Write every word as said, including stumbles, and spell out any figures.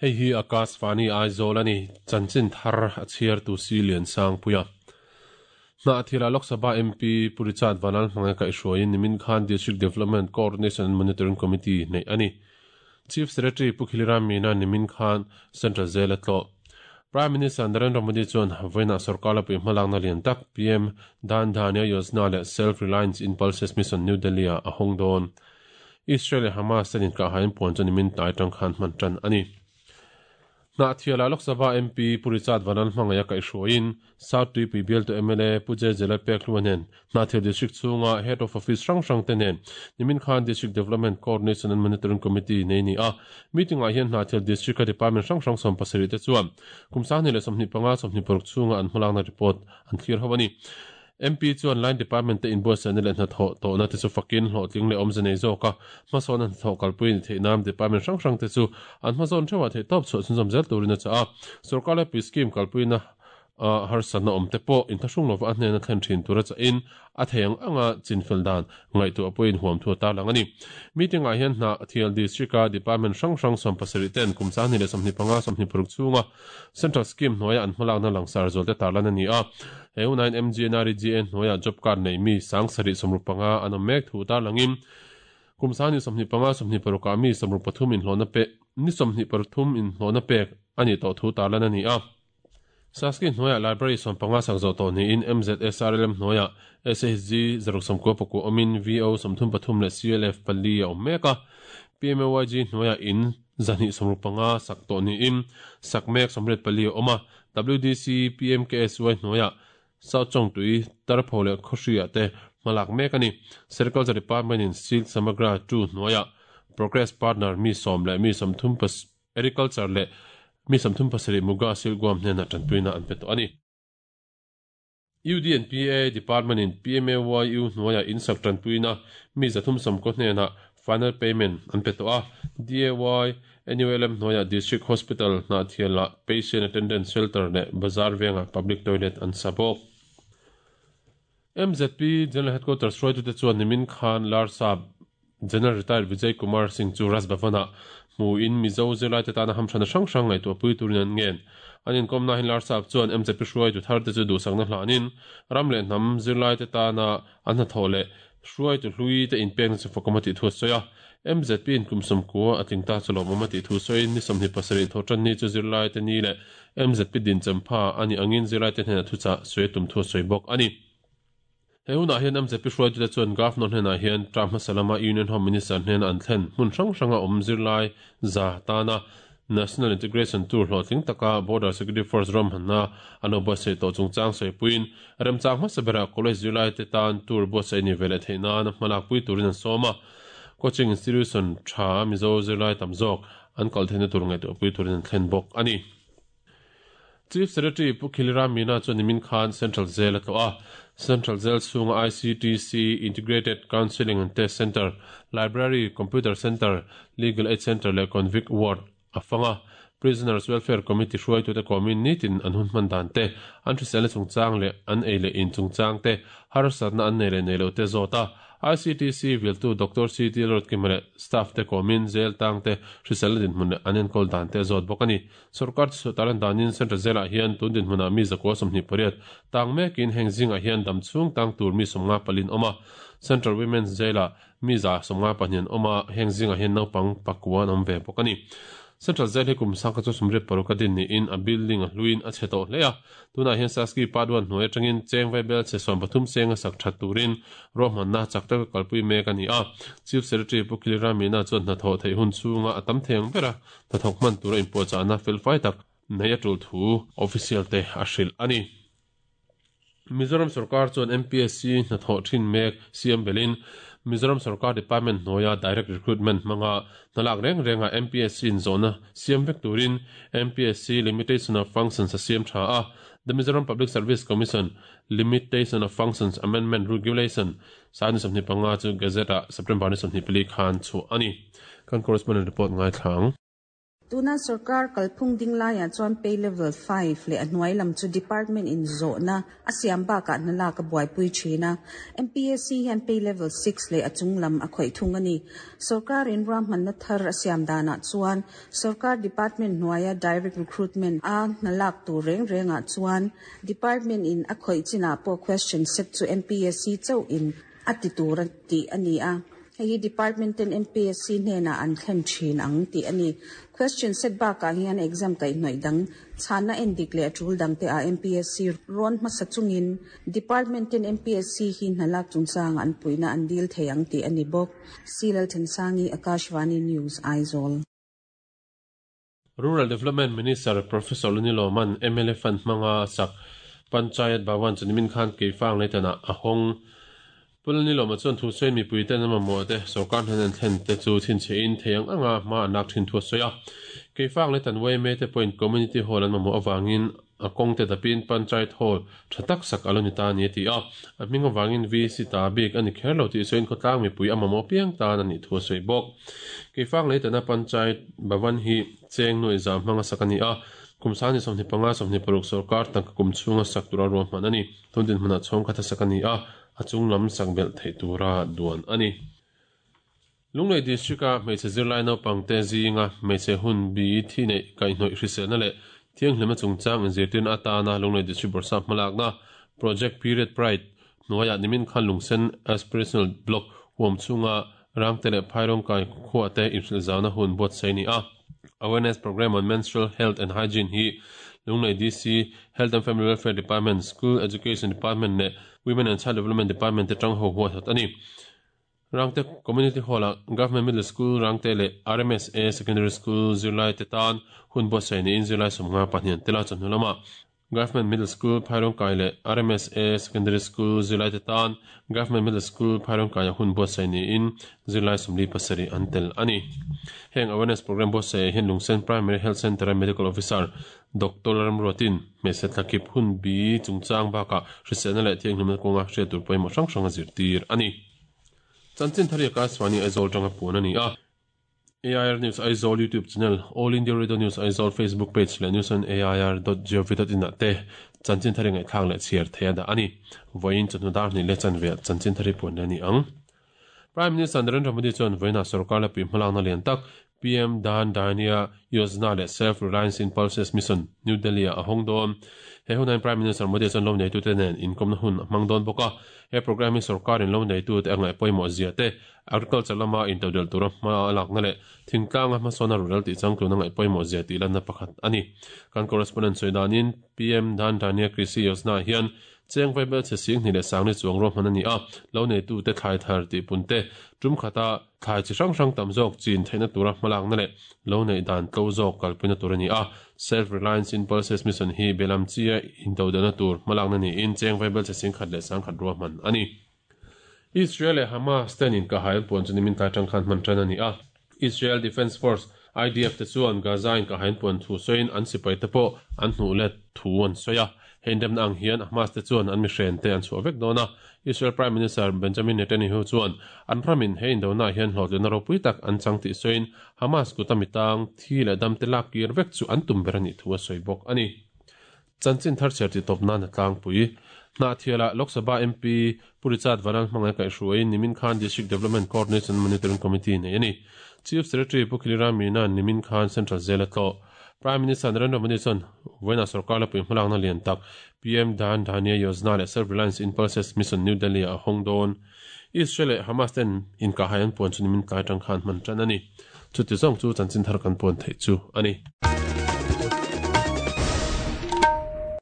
Hei hi Akashvani Aizawl ani chanchin thar a chhiar tu si lian sang puia. Na thila Lok Sabha M P Purichat Vanal hmanga ka ihruaiin nimin khan District Development Coordination and Monitoring Committee nei ani. Chief Secretary Pu Khiliram Meena nimin khan Central Jail a tlo. Prime Minister Narendra Modi chuan vawiinah sarkar la pui hmalak na lian tak P M Dhan Dhanya Yojana leh Self Reliance in Pulses Mission New Delhi ah a hawng dawn. Israel leh Hamas ten inkahhain puan chu nimin tlai tang khan hman tan ani. Na thiala Lok Sabha M P Purichat Vanal hmangaya ka ihruaiin South Tuipui bial tu M L A Pu J Jela pek hluanen na thil district chunga Head of Office rang rang te nen nimin khan District Development Coordination and Monitoring Committee nei ni a meeting ah hian na thil district ka department rang rang som pasarih te chuan kumsang ni leh sawmhnih panga sawmhnih paruk chunga an hmalakna report an thlir ho ani. M P chuan line department te inbuatsaihna leh hnathawh tawhna te chu fakin hlawhtling leh awmze nei zawk a hmasawn an hnathawh kalpui ni theih nan department hrang hrang te chu an hmazawn theuhah theih tawp chhuah chhunzawm zel turin a chah a. Sarkar leh pui scheme kalpuina harsatna awm te pawh inthlahrung lova a hnena thlen thin tur a chahin a thei ang anga chinfel dan ngaihtuah pawhin huam thu a tarlang ani. Meeting ah hian hna thial district a department hrang hrang sawm pasarih ten kum sang hnih leh sawmhnih panga sawmhnih paruk chunga central scheme hnuaia an hmalakna langsar zual te tarlan ani a. He unain M G N R E G A hnuaia job card nei mi sang sarih sawmruk panga an awm mek thu tarlangin kum sang hnih sawmhnih panga sawmhnih paruk ah mi sawmruk pathum inhlawhna pek ni sawmhnih pathum inhlawhna pek ani tawh thu tarlan ani a. Saski hnuaia library sawm panga sak zawh tawh niin M Z S R L M hnuaia S H G zaruk sawmkua pakua awmin V O sawmthum pathum leh C L F pali a awm mek a. P M A Y G hnuaia in zahnih sawmruk panga sak tawh niin sak mek sawmriat pali a awm a. W D C P M K S Y hnuaia South Chawngtui Tarpho leh Khawhriah te hmalak mek ani. Sericulture Department in Silk Samagra two hnuaia Progress Partner mi sawm leh mi sawmthum pas Agriculture leh mi sawmthum pasarih muga silguam hnena tanpuina an pe tawh ani. U D N P A Department in P M A Y U hnuaia insak tanpuina mi zathum sawmkaw hnena final payment an pe tawh a. D A Y N U L M hnuaia District Hospital hna thiala Patient Attendance Shelter leh Bazar venga Public Toilet an sa bawk. M Z P General Headquarters hruaitute chuan nimin khan Larsap General Retired Vijay Kumar Singh chu Raj Bhavana hmu in Mizo zirlai te tana hamthana hrang hrang ngaihtuah pui turin an ngen. An inkawmna hin Larsap chuan M Z P hruaitu thar te chu duhsakna hlanin ram leh hnam zirlai te tana an hnathawh leh hruaitu hlui te inpekna chu fakawm a tih thu a sawi a. M Z P in kum sawmkua a tling ta chu lawmawm a tih thu sawiin ni sawmhnih pasarih thaw tan ni chu zirlai te ni leh M Z P din champha ani angin zirlai te hnena thuchah sawi tum thu a sawi bawk ani. He hunah hian M Z P hruaitute chuan Governor hnenah hian term hmasa lama Union Home Minister hnena an thlen hmun hrang hranga awm zirlai za tana National Integration Tour hlawhtling taka Border Security Force ram hanna an lo buatsaih tawh chungchang sawipuiin remchang hmasa berah college zirlai te tan tour buatsaih ni veleh theih nan hmalak pui turin an sawm a. Coaching institution tha Mizo zirlai tam zawk an kal theihna tur ngaihtuah pui turin an thlen bawk ani. Chief Secretary Pu Khiliram Meena chuan nimin khan Central Jail a tlawh a. Central Jail chhunga I C T C Integrated Counselling and Test Centre, Library, Computer Centre, Legal Aid Centre leh Convict Ward a fanga. Prisoners Welfare Committee hruaitute kawmin nitin an hun hman dan te, an hriselna chungchang leh an ei leh in chungchang te, harsatna an nei leh nei lo te zawt a. I C T C viltu Doctor C T Rodkima leh staff te kawmin jail tang te hriselna dinhmun leh an enkawl dan te zawt bawk ani. Sarkar chu talan danin Central Jail ah hian tun dinhmunah mi zakua sawmhnih pariat tang mekin heng zingah hian dam chhung tang tur mi sawmnga palin awm a. Central Women's Jail ah mi za sawmnga pahnih an awm a, heng zingah hian naupang pakua an awm ve bawk ani. Central Jail hi kum sangka chu sumriat paruk a din niin a building a hluin a chhe tawh hle a. Tunah hian Saski Part one hnuai atangin cheng vaibel chhe sawm pathum cheng a sak that turin ruahmanna chak taka kalpui mek ani a. Chief Secretary Pu Khiliram Meena chuan hnathawh theih hun chhunga a tam thei ang bera hnathawk hman tura inpuahchahna felfai tak nei a tul thu official te a hrilh ani. Mizoram Sarkar chuan M P S C hnathawh thin mek C M belin Mizoram Sarkar Department hnuaia direct recruitment hmanga hnalak reng renga M P S C in zawhna siam vek turin M P S C Limitation of Functions a siam tha a. The Mizoram Public Service Commission Limitation of Functions Amendment Regulation sani sawmhnih panga chu Gazette ah September ni sawmhnih pali khan chhuah ani. Kan correspondent report ngai thlang. Tuna sarkar kalphung dinglai ah chuan pay level five le a hnuai lam chu department in zawhna a siam bakah hnala ka buaipui thina. M P S C hian pay level six le a chung lam a khawih thung ani. Sarkar in ruahmanna thar a siam danah chuan sarkar department hnuaia direct recruitment a hnalak tur reng rengah chuan department in a khawih chinah pawh question set chu M P S C chauh in a ti tur a tih ani a. Hei department ten M P S C hnenah an thlen thin ang tih ani. Question set bakah hian exam kaih hnawih dang chhana en dik leh a tul dang te a M P S C rawn hmasa chungin department ten M P S C hi hnalak chungchang an puina an dil thei ang tih ani bawk. Silal Thansangi, Akashvani News, Aizawl. Rural Development Minister Professor Luniloman M L A Fund hmanga sak Panchayat Bhawan chunimin khan keifang leitana a hawng. Pulniloma chuan thu sawi mipui ten ama maw te sarkar hnen an thlen te chu thin che in theiang anga hma an lak thin thu a sawi a. Keifang leitan Y M A te pawhin community hall an mamawh awangin a kawng te dapin Panchayat Hall tha tak sak alo ni ta ni a ti a. A hming awangin V C ta bik ani kher lo tih sawiin khawtlang mipui a mamawh piang tan ani thu a sawi bawk. Keifang leitana Panchayat Bhawan hi cheng nuai zam hmanga sak ani a. Kumsani sawmhnih panga sawmhnih paruk sarkar tangka kum chhunga sak tura ruahman ani. Tundin hmunah chhawng khat a sak ani a. A chung lam sak belh theih tura duan ani. Lunglei district a hmeichhe zirlai naupang te zinga hmeichhe hun bi thi nei kaihhnawih hriselna leh thianghlima chungchang inzirtirna atana Lunglei district bawrhsap hmalakna Project Period Pride hnuaiah nimin khan Lungsen Aspirational Block huam chunga rangte leh phairawng kai khuah te inhrilh zauna hun buatsaih ni a. Awareness Program on Menstrual Health and Hygiene hi Lunglei D C Health and Family Welfare Department, School Education Department leh Women and Child Development Department te tang ho huat ani. Rangte Community Hall a Government Middle School Rangte leh R M S A Secondary School zirlai te tan hun buatsaih niin zirlai sawmnga pahnih an tela chawhnu lama Government Middle School Phairawng Kai leh R M S A Secondary School zirlai te tan Government Middle School Phairawng Kai a hun buatsaih niin zirlai sawmli pasarih an tel ani. Heng awareness program buatsaih hian Lungsen Primary Health Center a Medical Officer Doctor Ramruatin hmeichhe thlakip hun bi chungchang bakah hriselna leh thianghlimna kawnga hriat tur pawimawh hrang hrang a zirtir ani. Chanchin thari Akashvani Aizawl tanga puan ani a. A I R News Aizawl YouTube channel, All India Radio News Aizawl Facebook page leh news on A I R dot gov dot in ah te chanchin thari ngaihthlak leh chhiar thei a dah ani. Vawiin chawhnu dar hnih leh chanve chanchin thari puan le ani ang. Prime Minister Narendra Modi chuan vawiinah sarkar la pui hmalakna lian tak P M Dhan Dhanya Yojana leh Self Reliance in Pulses Mission New Delhi a hawng dawn. He hunain Prime Minister Modi chuan lo neitu te nen inkomna hun a hmang dawn bawk a. He program hi sarkarin lo neitu te a ngaih pawimawh zia te agriculture lama intodel tura hma a lakna leh thingtlanga hmasawna rural tih changtluna ngaih pawimawh zia tih lanna pakhat ani. Kan correspondent sawi danin P M Dhan Dhanya Krishi Yojana hian cheng vaibel che sing hnih leh sangni chuang ruahman ani a. Lo neitu te thlai thar tih pun te tum khata thlai chi hrang hrang tam zawk chin theihna tura hmalakna leh lo nei dan tlo zawk kalpuina tur ani a. Self Reliance in Pulses Mission hi belam chia intodelna tur hmalakna niin cheng vaibel che sing khat leh sang khat ruahman ani. Israel leh Hamas ten in kahail puan chu nimin tlai tang khan hman tan ani a. Israel Defense Force I D F te chuan Gaza in kahain puan thu sawiin an sipai te pawh an hnuh let thu an sawi a. Hei indemna ang hian Hamas te chuan an mihren te an chhuah vek dawn a. Israel Prime Minister Benjamin Netanyahu chuan an ramin hei indona hian hlawhtlina ropui tak an chang tih sawiin Hamas kuta mitang thi leh dam te lak kir vek chu an tum ber ani thu a sawi bawk ani. Chanchin thar chher ti tawp nan a tlangpui. Hnahthiala Lok Sabha M P Pu Richard Vanal hmangai kaihhruaiin nimin khan District Development Coordination Monitoring Committee nei ani. Chief Secretary Pu Khilira Meena nimin khan Central Jail a tlawh. Prime Minister Narendra Modi chuan vawiinah sarkar la pui hmalakna lian tak P M Dhan Dhanya Yojana leh Self Reliance in Pulses Mission New Delhi a hawng dawn. Israel leh Hamas ten inkahai an puan chu nimin tlai tang khan hman tan ani. Chuti zawng chu chanchin thar kan puan theih chu ani.